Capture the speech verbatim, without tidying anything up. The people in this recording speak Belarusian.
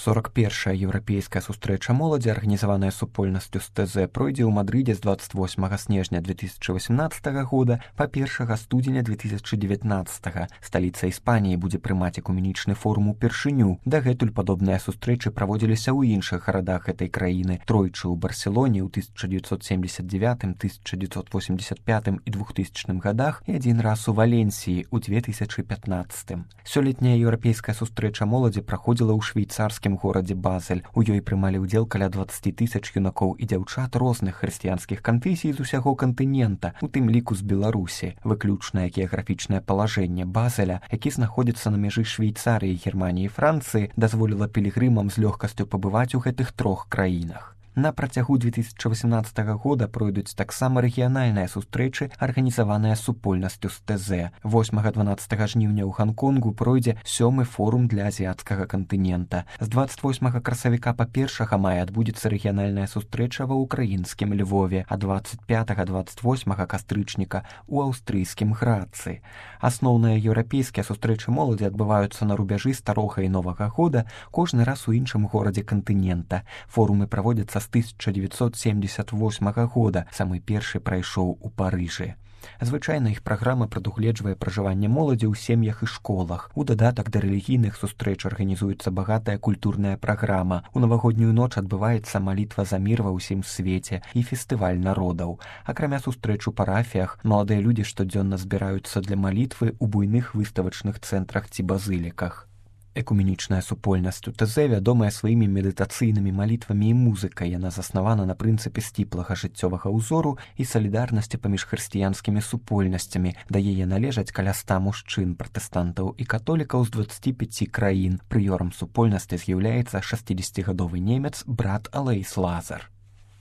сорок першая еўрапейская сустрэча моладзі, арганізаваная супольнасцю з ТЗ, пройдзе ў Мадрыдзе з двадцать восьмага снежня две тысячи восемнадцатага года па першага студзеня две тысячи девятнадцатага. Сталіца Іспаніі будзе прымаць экуменічны форум упершыню. Дагэтуль падобныя сустрэчы праводзіліся ў іншых гарадах гэтай краіны. Тройчы ў Барселоне ў тысяча дзевятьсот семьдесят девятым, тысяча дзевятьсот восемьдесят пятым і двухтысячным годах і адзін раз у Валенсіі ў две тысячи пятнадцатым. Сёлетняя еўрапейская сустрэча моладзі праходзіла ў швейцарскім горадзе Базель. У ёй прымалі ўдзел каля двадцать тысяч юнакоў і дзяўчат розных хрысціянскіх канфесій з усяго кантынента, у тым ліку з Беларусі. Выключнае геаграфічнае палажэнне Базеля, які знаходзіцца на мяжы Швейцарыі, Германіі і Францыі, дазволіла пілігрымам з лёгкасцю пабываць у гэтых трох краінах. На працягу две тысячи восемнадцатага года пройдуць таксама рэгіянальныя сустрэчы, арганізаваныя супольнасцю з ТЗ. восьмага-дванаццатага жніўня ў Ганконгу пройдзе сёмы форум для азіяцкага кантынента. З двадцать восьмага красавіка па першага мая адбудзецца рэгіянальная сустрэча ва ўкраінскім Львове, а двадцать пятага-двадцать восьмага кастрычніка ў аўстрыйскім Грацы. Асноўныя еўрапейскія сустрэчы моладзі адбываюцца на рубяжы старога і новага года, кожны раз у іншым горадзе кантынента. Форумы праводзяцца з тысяча дзевятьсот семьдесят восьмага года, самы першы прайшоў у Парыжы. Звычайна іх праграма прадугледжвае пражыванне моладзі ў сем'ях і школах. У дадатак да рэлігійных сустрэч арганізуецца багатая культурная праграма. У навагоднюю ноч адбываецца малітва за мір ва ўсім свеце і фестываль народаў. Акрамя сустрэч у парафіях, маладыя людзі штодзённа збіраюцца для малітвы ў буйных выставачных цэнтрах ці базыліках. Экуменічная супольнасць у ТЗ вядомая сваімі медытацыйнымі малітвамі і музыкай. Яна заснавана на прынцыпе сціплага жыццёвага ўзору і салідарнасці паміж хрысціянскімі супольнасцямі. Да яе належаць каля ста мужчын, пратэстантаў і католікаў з дваццаці пяці краін. Прыёрам супольнасці з'яўляецца шасцідзесяцігадовы немец брат Алэйс Лазар.